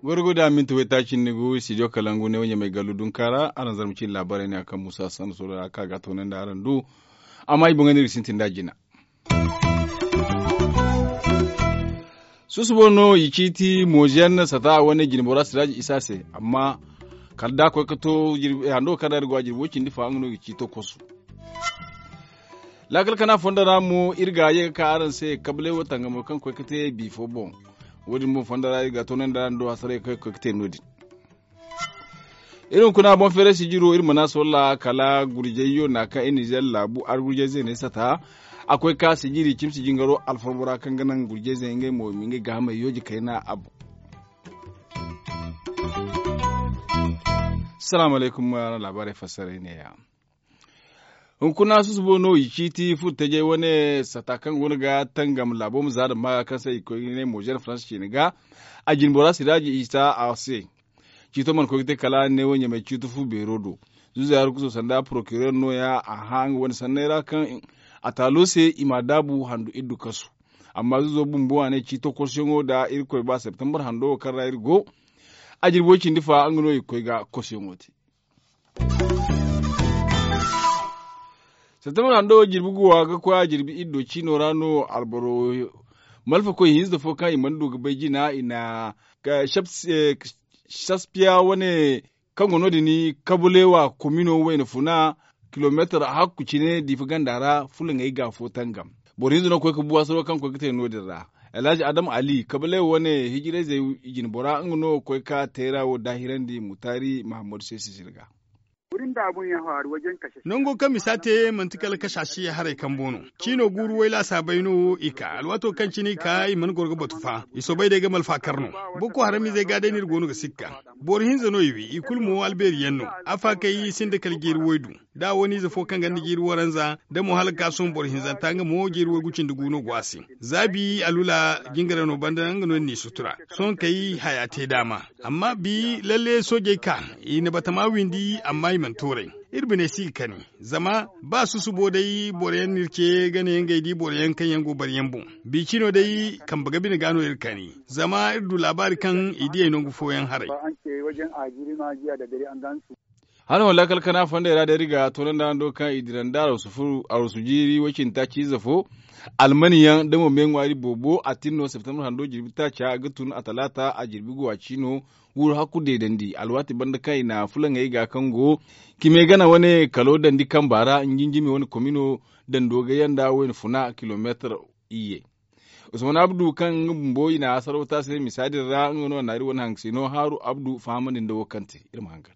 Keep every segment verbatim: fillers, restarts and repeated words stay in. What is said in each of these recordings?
Gorgo da minti waytaaci ni gu studio kalangu ne wanya mai gallu dunka ra araŋ zarma cine laabaarey ne a kaŋ musa sanna soro ra kaŋ a ga a toonandi araŋ du. Amma i boŋey no iri ga sintin da jina. Susubo no i ciiti moziyan sata wane jinbora siraaji isa se. Amma kala da a koy ga to hando kaŋ ra iri go a jirbi way cindi fa nga no i ga ciito kosu. Laakal kana fondo ra mo iri ga ye ga ka araŋ se kablay wo tangamo kaŋ koy ga te bi fo boŋ. Wo- din boŋ fondo ra iri ga toonandi araŋ do hasaray kaŋ koy ga te no- din. Iri hunkuna boŋ feeray sijiro iri mana solla kala gurjayyo na kaŋ iri nizer laabu argurjay zeeney sata. A koy ka sijiri cimsi jingaro alfarbo ra kaŋ ga naŋ gurjay zeeney ngey mo i ma ngey gaahamey yooje kayna a boŋ. Salaamu alaykum. Laabaarey fassaray neeya. Hunkuna susubo no i ciiti furo tajey wane sata kaŋ go no ga tangam laabo ma za da maaga kaŋ se i koy ga ne mozer faransa ciine ga. A jinbora siraaji isa a se. Ciito mana koy ga te kala ne wo ɲamay ciito fu beero do. Zuuza ya rukuso sanda porokirer nooya a hã nga wane sanney ra kaŋ a taalo se i m'a daabu handu iddu kasu. Amma zuuzo bumbo a ne ciito kosuyaŋo da irkoy ba septembre hando wo kaŋ ra iri go. A jirbo cindi fa nga no i ga koy ga kosuyaŋo te. Septembre hando jirbi guwa ga koy a jirbi iddo ciino ra no alboro malfakoy hinza fo kaŋ i mana du ga bay jina i na saspiya wane kaŋ go no- din kabulewa komino wayna funa kilometar hakku cine diifa ganda ra fulaŋey ga fo tangam. Boro hinza no ga koy ga buwasaro kaŋ koy ga te no- din ra. Alhaji adam ali kabulewa wane hijirayzey jinbora nga no ga koy ga teera wo daahirandi mutaari mahammadu se sisir ga. Nango kaŋ misa te manti kala kashashi haray kambo no. Ciino guuru wayla saabay no i ka alwaato kaŋ cine i ka i mana goro ga batu fa i soobay day ga malfa kar no. Boko haramizey ga day no iri go no ga sikka. Boro hinza no i wi i kulu mo albeeri yaŋ no. Afa kay i sinda kala jiiri waydu da wane ize fo kaŋ ganda jiiri waranza da mo hala ga ka sohõ boro hinzanta nga mo jiiri waygu cindi gu no go a se. Za bi alula jingara no banda nga no ni sutura. Sohõ kay haya te daama. Amma bi lalle soojey ka i na batama windi amma i mana tooray. Iri bine si ga kani zama ba susubo day boro yaŋ no iri ce ga ne ngey di boro yaŋ kaŋ yaŋ go bari yaŋ boŋ. Bi cino day kambe ga bine ga no iri kani zama iri du laabaari kaŋ i diyey nangu fooyaŋ haray. Hano laakal kana fondey ra day iri ga toonandi araŋ do kaŋ i dira nda arwasu jiiri way cindi taaci ize fo. Almani yaŋ da mo me ŋwaari boobo a tin no septembre hando jirbi taaca ga tun a talaata a jirbi guwa ciino. Wuro hakku deedandi alwaati banda kaŋ i na fulaŋey ga kaŋ go kime gana wane kalo dandi kamba ra njinjimi wane komino dando ga yanda wayna funa kilometar iyye. Usman abdu kaŋ nga bumbo i na hasaro taasi ne misa din ra nga no a naari wane haŋ ga se no haaru abdu fahamandi nda wo kaŋ te iri ma haŋ ga.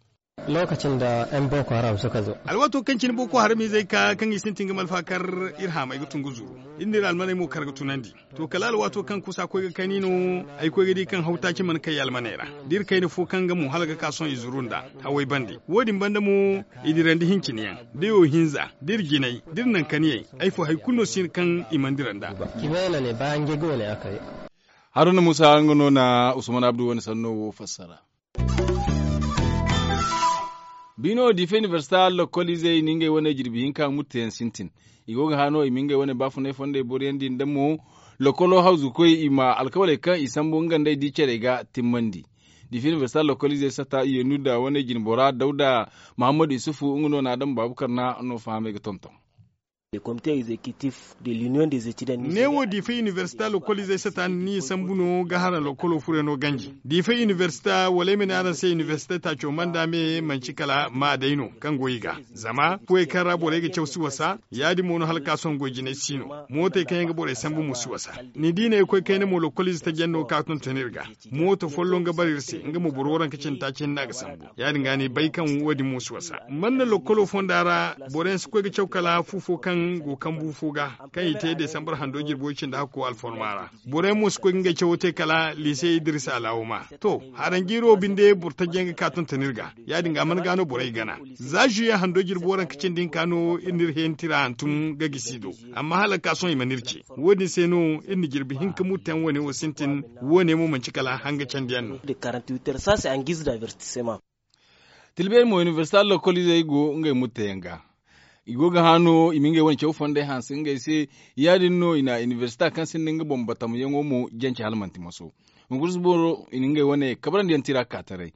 Lokacin da yan boko haram suka zo. Alwaato kaŋ cine boko haram izey ka kaŋ i sintin ga malfa kar iri haamay ga tun ga zuru. Iri n'iri almaney mo kar ga tunandi. To kala alwaato kaŋ kusa koy ga kani no ay koy ga di kaŋ hawtaaci mana kay almaney ra. Da iri kayna fo kaŋ nga mo hala ga ka sohõ i zuru nda haway bande wo- din banda mo i dirandi hincine yaŋ da yo hinza da iri jinay da iri nankaniyey ay fo hari kulu no si hin kaŋ i mana dira nda. Haruna musa nga no na usman abdu wane sanno wo fassara. Biino diifa inibersita lokol izey na ngey wane jirbi hinka murteyaŋ sintin. I go ga hã no i ma ngey wane baafunay fondey boroyaŋ din da mo lokolo hawzukoy i ma alkawaley kaŋ i sambu nga nd'ey di carey ga timmandi. Diifa inibersita lokol izey sata i yeenuda wane jinbora dawda mahammadu isufu nga no na adama baabukar na no fahamey ga tonton. Neewo diifa inibersita lokol izey sata ni sambu no ga hara lokolo furayno ganji. Diifa inibersita wala ay ma ne araŋ se inibersita taaco manda me manci kala maa day no kaŋ go i ga. Zama fuwey kaŋ ra borey ga caw si wasa ya- din mo no hala ka sohõ goy jinay si no. Mootey kaŋ yaŋ ga borey sambu mo si wasa. Ni di ne ay koy kayna mo lokol ize taji yaŋ no ka tonton iri ga. Mooto folloŋ ga bara iri se nga mo boro waranka cindi taaci hinne a ga sambu. Ya- din ga ni bay kaŋ wo- din mo si wasa man na lokkolo fonda ra. Boro yaŋ si koy ga caw kala fu fo kaŋ go kambu fo ga kaŋ i te desambar hando jirbo cindi hakko alforma ra. Boro yaŋ mo si koy ga ngey cawo te kala lise idirisa alawuma. To, haranjiiro binde boro taji yaŋ ga ka tonton iri ga. Ya- din ga man ga no borey gana. Za zuye hando jirbo waranka cindi hinka no iri n'iri heenati ra hantum ga gisi do. Amma hala ga ka sohõ i mana iri ce. Wo- din se no iri na jirbi hinka murteyaŋ wane wo sintin. Wo- ne mo manci kala hanga candi yaŋ no. Tilbeeri mo inibersita lokoliizey go ngey murteyaŋ ga. I go ga hã no i ma ngey wane caw fondey hanse ngey se. Ya- din no i na inibersita kaŋ sinda nga boŋ batamyaŋo mo jance hala manti maso. Hunkuna si boro i na ngey wane kabrandi yaŋ tira ka taray.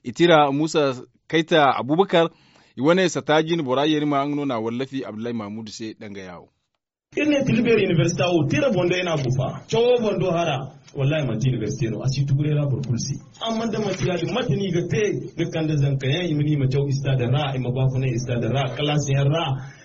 I tira muusa kayta abubakar. I wane sata jine bora yerima nga no na a wallafi abdullahi mahamudu se danga yaawo. Iri ne tilbeeri inibersita wo tira boŋ day no a gufa cawo boŋ do hara. Wallahi manti inibersite no a si tuguray ra boro kulu se. Amma da manti ya- din mate no i ga te ga kande zanka yaŋ i ma ni i ma caw istaada ra i ma baafunay istaada ra kalaasi yaŋ ra.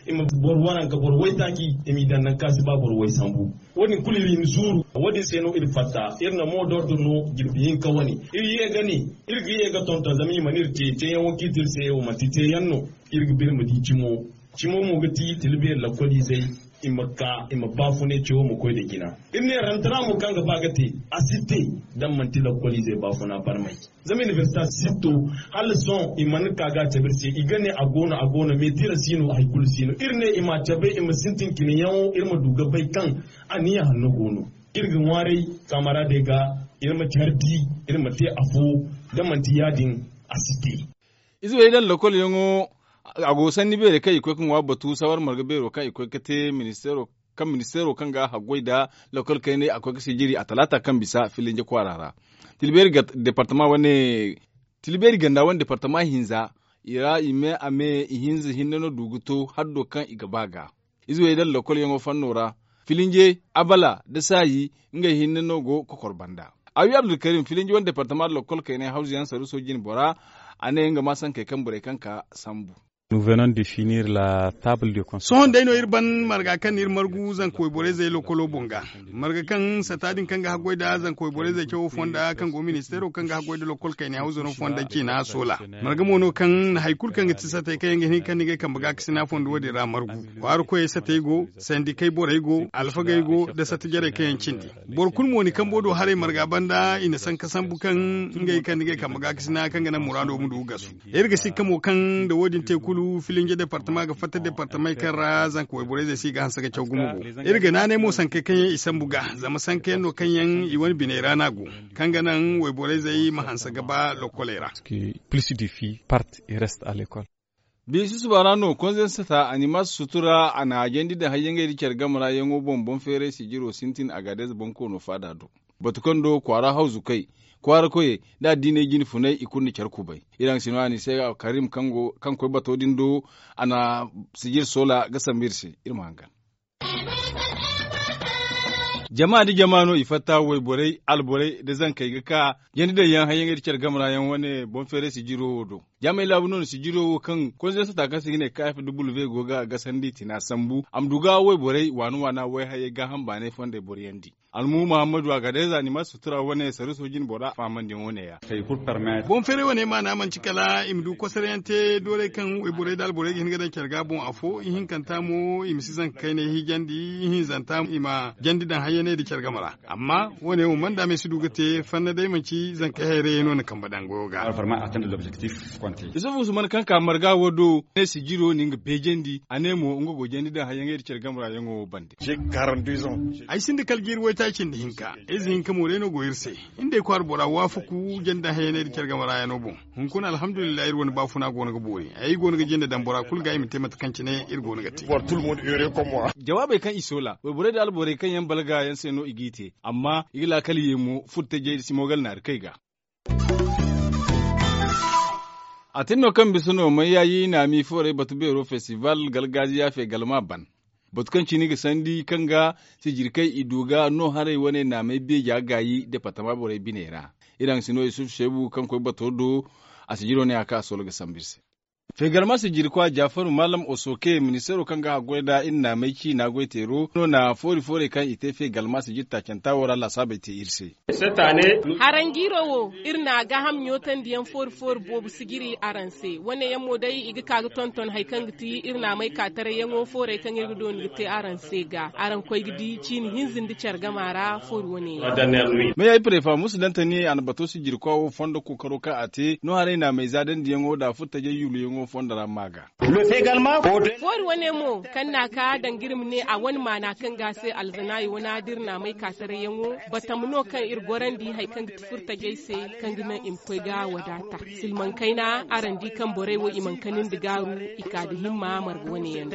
I ma boro waranka boro waytaaci i m'i daŋ nangu kaŋ a si ba boro way sambu. Wo- din kulu iri hima zuuru wo- din se no iri fatta. Iri na moodordo no jirbi hinka wane iri ye ga ne iri ga ye ga tonton zama i mana iri te teeyaŋo kaŋ i te iri se wo manti teeyaŋ no. Iri ga ba iri ma di cimo. Cimo mo ga ti tilbeeri lakkoliizey i ma ka i ma baafunay cawo ma koy nda jina. Iri ne rantara mo kaŋ ga ba ga te a si te. Da manti lakkoliizey baafuna barmay zama inibersita sitto hala sohõ i mana ka ga a cabe iri se i ga ne a go no a go no meetira si no hari kulu si no iri ne i m'a cabe i ma sintin cine yaŋo iri ma du ga bay kaŋ aniya hanno go no. Iri ga ŋwaaray kaamaraadey ga iri ma care di iri ma te afo. Da manti ya- din a si te. Ize wey daŋ lokol yaŋo a go sanni beerey kaŋ i koy ga ŋwa batu sawar marga beero kaŋ i koy ga te ministeero kaŋ ga haggoy nda lokol kayney a koy ga sijiri a talaata kaŋ bisa filinje kwaara ra. Tilbeeri departama wane tilbeeri ganda wane departama hinza i ra i me a me ihinza hinne no du ga to haddo kaŋ i ga ba ga. Ize wey daŋ lokol yaŋo fanno ra filinje abala nda saayi ngey hinne no go kokor banda. Awi abdulkarim filinje wane departama nda lokol kayney hawzu yaŋ saruso jine bora a ne nga ma sankey kaŋ borey kaŋ ka sambu. Sohõ day no iri ban marga kaŋ no iri margu zanka wayborey zey lokolo boŋ ga. Marga kaŋ sata din kaŋ ga haggoy nda zanka wayborey zey cawo fonda kaŋ go ministeero kaŋ ga haggoy nda lokol kayney hawzu no fonda ciina soola. Marga mo no kaŋ na hari kulu kaŋ ga ti satey kaŋ yaŋ ga hin kaŋ ni ga ay kambe ga kasina fondo wo- din ra margu. Kwaara koyey satey go, sandikey borey go, alfagey go nda sata jarey kaŋ yaŋ cindi. Boro kulu mo ni kambo do haray marga banda i na sanka sambu kaŋ ngey kaŋ ni ga ay kambe ga kasina kaŋ ga naŋ muraado ma du ga gasu. Iri ga sikka mo kaŋ nda wo- din te kulu filinje departama ga fatta departamey kaŋ ra zanka wayborey zey se i ga hanse ga caw gumo go. Iri ga naanay mo sankey kaŋ yaŋ i sambu ga zama sanka yaŋ no kaŋ yaŋ i wane biney ra no a go, kaŋ ga naŋ wayborey zey ma hanse ga ba lokkoley ra. Biisi susuba ra no konzensata animas sutura a na a jandi daŋ hayyaŋey nda care game ra yaŋo boŋ boŋ feeray sijiro sintin agadez boŋ koono faada do. Batu kaŋ do kwaara hawzukey kwaara koyey nda addiiney jine funay i kulu na care kubay. Iri haŋ si no a ni se karim kaŋ koy bato din do a na sijir soola ga sambu iri se. Iri ma hangan. Jama nda jama no i fatta wayborey alborey nda zankey ga ka jandi daŋ yaŋ hayyaŋey nda care game ra yaŋ wane boŋ feeray sijiro wo do. Jaamey laabu no na sijiro wo kaŋ konzensata kaŋ se i ga ne kayaf da bulbe go ga a gasandi tina sambu a ma du ga wayborey waana waana wayhayey gaaham baanay fondey boro yaŋ di. Almu muhammadu a ga day za ni ma sutura wane saruso jine bora fahamandiyaŋo ne ya. Boŋ feeray wane maana manti kala i ma du kosarayaŋ te doorey kaŋ wayborey nda alborey ga hin ga daŋ care ga boŋ afo ihinkanta mo i ma si zanka kayney hijandi ihinzanta i ma jandi daŋ hayyaney nda care game ra. Amma wo- ne wo mana daamey si du ga te fanna day manti zankey hayrayey no na kambe daŋ goyo ga. Isufu usman kaŋ ka marga wo do ne sijiro na nga beejandi a ne mo nga go jandi daŋ hayyaŋey nda care game ra yaŋo wo bande. Ay sinda kala jiiri waytaaci nda hinka. Ize hinka mo day no go iri se. Iri nda ay kwaara bora waafaku jandi daŋ hayyaney nda care game ra yaŋo boŋ. Hunkuna alhamdulillahi iri wane baafuna go no ga boori ay go no ga jinde daŋ bora kulu ga i ma te mate kaŋ cine iri go no ga te. Jawaabey kaŋ i soola wayborey nda alborey kaŋ yaŋ balga yaŋ se no i g'i te amma i ga laakal ye mo furtajey nda simogal naari kay ga. A tin no kaŋ bisa no mayyayi naami foorey batu beero festival galgaaziya feegalma ban. Batu kaŋ cine ga sandi kaŋ ga sijirkey i du ga no haray wane naamey beeja gaayi departama borey biney ra. Iri haŋ si no yusuf seebu kaŋ koy bato do. A sijiro ne a ka a solo ga sambu iri se. Feegalma sijirkwa jafaru maalam osoke ministeero kaŋ ga haggoy nd'a iri naamey ciina goyteero no na foori foorey kaŋ i te feegalma sijir taacanta wo ra laasaabey te iri se. Haranjiiro wo, iri na a gaaham ɲootandiyaŋ foori foori boobo sijiri araŋ se wane yaŋ mo day i ga ka ga tonton hari kaŋ ga ti iri naamey kaatarayyaŋo foorey kaŋ iri ga dooni ga te araŋ se ga araŋ koy ga di ciini hinza nda care gama ra foori wane yaŋ. Meeyey prefa musu dantani a na bato sijirkwa wo fondo kookaro kaŋ a te no haray naamey zaadandiyaŋo nda furtajey yuuluyaŋo. Fondo ra ma ga. Foori wane mo kaŋ n'a ka danga iri ma ne a wane maana kaŋ ga a se alzanaayi wane da iri n'a may ka taray yaŋo, batama no kaŋ iri gorandi hari kaŋ ga ti furtajey se, kaŋ ga naŋ i ma koy ga wadaata. Silmaŋ kayna araŋ di kaŋ borey wo i mana kanandi gaaru, i ka nda himma marga wane yaŋ.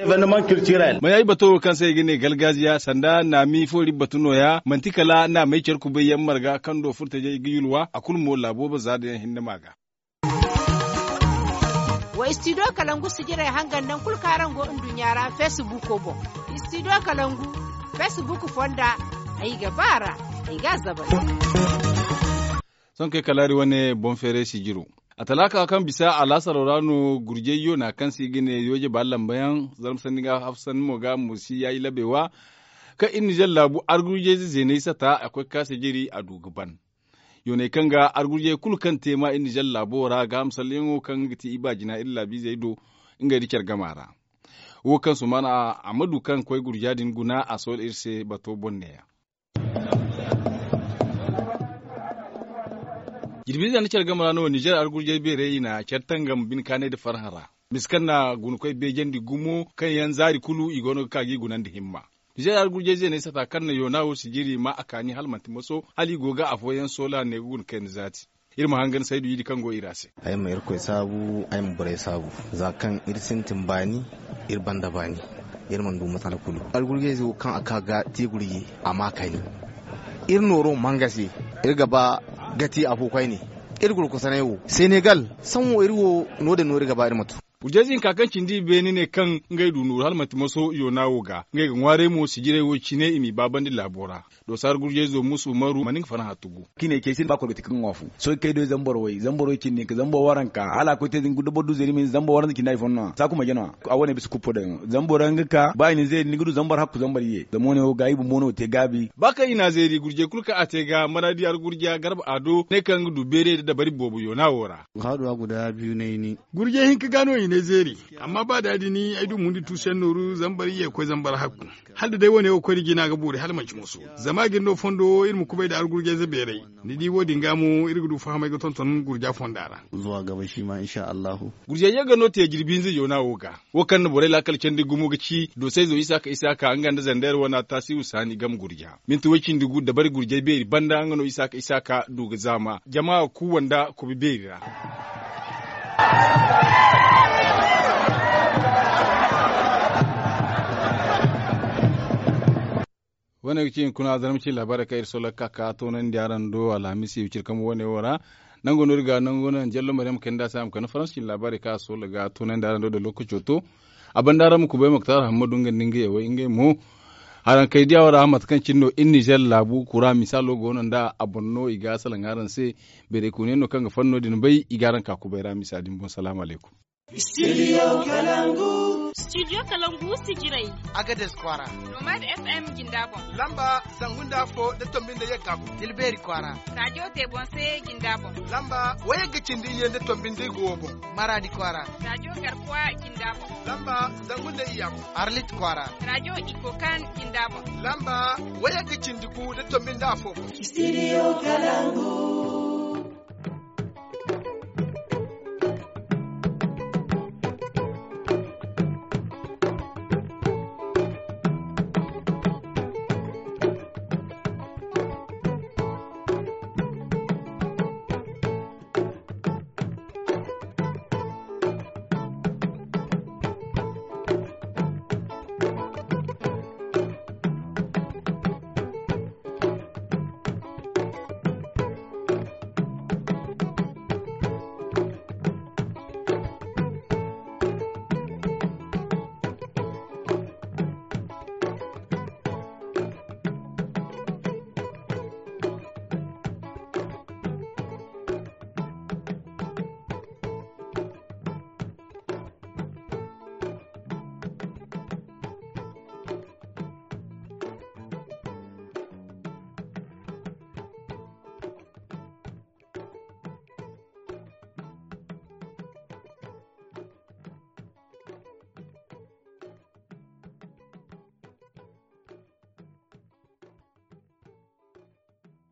Maya ay bato wo kaŋ se i ga ne galgaziya sanda naami foori batu nooya manti kala naamey care kubay yaŋ marga kaŋ do furtajey ga yulwa a kulu mo laabo ba za da yaŋ hinne ma ga. Wa istidiyo kalangu sijirey hangan naŋ kulu kaŋ araŋ go nduɲɲa ra feesibuuko boŋ. Istidiyo kalangu feesibuuko fonda, ay ga ba a ra, ay ga a zabay. Sohõ kay kalaari wane boŋ feeray sijiro. A talaaka kaŋ bisa alaasaro ra no gurjay yoona kaŋ se i ga ne yooje ba lamba yaŋ, zarma sanni ga haf sanni mo ga mo si yaayi labe wa. Kaŋ iri nizer laabu argurjayze zeenay sata a koy ga ka sijiri a du ga ban. Yooney kaŋ ga argurjay kulu kaŋ te ma iri nizer laabo ra ga misalyaŋo kaŋ ga ti i ba jina iri laabiizey do, ngey nda care gama ra. Wo kaŋ sumaana a ma du kaŋ koy gurja din guna a soola iri se bato boŋ neeya. Jirbiize nda care game ra no nizer argurjay beerey i na care tangam bine kaanay nda farhã ra. Misa kaŋ na gunakoy beejandi gumo kaŋ yaŋ zaari kulu i go no ga ka ga i gunandi himma. Nizer argurjay zeeney sata kaŋ na yoona wo sijiri ma a kaani hala manti moso hala i go ga afooyaŋ soola ne ga guna kayna zaati. Iri ma hangan saydu idi kaŋ go i ra se. Ay ma irkoy saabu, ay ma borey saabu. Za kaŋ iri sintin baani, iri banda baani, iri mana du masala kulu. Argurjayze wo kaŋ a ka ga te gurji a ma kayna. Iri nooro manga se, iri ga ba ga te afo koyne. Iri gurkusanay wo senegal, saŋ wo iri wo no- din no iri ga ba iri ma tu. Gurjayze hinka kaŋ cindi i beene ne kaŋ ngey du nooru hala manti maso yoona wo ga ngey ga ŋwaaray mo sijirey wo cine i m'i baabandi laabo ra. Doosa argurjayzo musu umaru mana nga farhã tugu. Kaŋ i ne cey se ba koro ga ti kaŋ ŋwa fu sohõ kay do zambar way zambar way cindi hinka zambar waranka hala a koy te da boro du zeeri ma hin zambar waranza cindi hari fo no a saaku ma jana. A wane bisa kuppo daŋ zambar waranka ga ka ba i na zeeri ni ga du zambar hakku zambar ye zama wane wo ga i bumbo no te gaabi. Ba kaŋ i na zeeri gurjay kulu kaŋ a te ga maraadi argurja garba ado ne kaŋ ga du beeray da dabari boobo yoona wo ra. Gurjay hinka ga no i ne zeeri. Amma ba da- din ay du mundi tuusu yaŋ nooru zambar ye ga koy zambar hakku. Hala da day wane wo koy nda jina ga boori hala manti moso. Zama a ga iri no fondo wo iri ma kubay nda argurjayze beeray. Ni di wo- din ga mo iri ga du fahamay ga tonton gurja fonda ra. Zuwa gaba shi ma insha allahu. Gurjay ye ga no te jirbi hinza yoona wo ga. Wo kaŋ na borey laakal candi gumo ga ci doosayzo isaaka isaaka nga nda zandeer wana taasiru saani game gurja. Minti way cindi gu dabari gurjay beeri banda nga no isaaka isaaka du ga zaama jama kuuwa nda kubi beeri ra. Wane ga ci hunkuna zarma cine laabaarey kaŋ iri soola ga ka ga toonandi araŋ do alhamisi wiciri kambe wane wo ra. Nango no iri ga nango no yaŋ jallo maryam kayna nda a se a ma kande faransa cine laabaarey kaŋ a soola ga toonandi araŋ do da lookaco to. A banda araŋ ma kubay moktar hammadu nga nda nga yawey ngey mo. Haraŋ kay diya wo ra mate kaŋ cine no iri nizer laabu kura misaalo go no nda a boŋ no i ga salaŋ araŋ se. Beeray kooniyaŋ no kaŋ ga fanno din bay i ga araŋ ka kubay ra misa din boŋ salaamu alaykum. Studio kalangu. Studio kalangu sijirey. Agades kwaara. Nomad fm jinda boŋ. Lamba zangu nda afo nda tombi nda yagga boŋ tilbeeri kwaara. Raajo te boŋ se jinda boŋ. Lamba wayagga cindi iyye nda tombi nda igo wo boŋ. Maraadi kwaara. Raajo garkuwa jinda boŋ. Lamba zangu nda iyya boŋ. Arlit kwaara. Raajo ikokan jinda boŋ. Lamba wayagga cindi gu nda tombi nda afo boŋ. Studio kalangu.